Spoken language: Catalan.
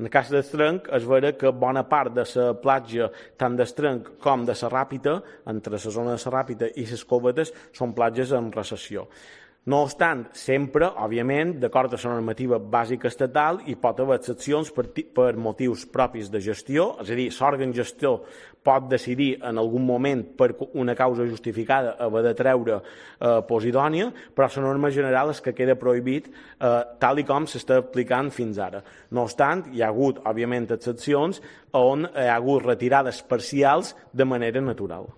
En el cas d'Estrenc, és vera que bona part de la platja, tant d'Estrenc com de la Ràpita, entre la zona de la Ràpita i les Covetes, són platges en recessió. No obstant, sempre, òbviament, d'acord amb la normativa bàsica estatal, hi pot haver excepcions per motius propis de gestió, és a dir, l'òrgan gestor pot decidir en algun moment per una causa justificada haver de treure Posidònia, però la norma general és que queda prohibit tal i com s'està aplicant fins ara. No obstant, hi ha hagut, òbviament, excepcions on hi ha hagut retirades parcials de manera manual.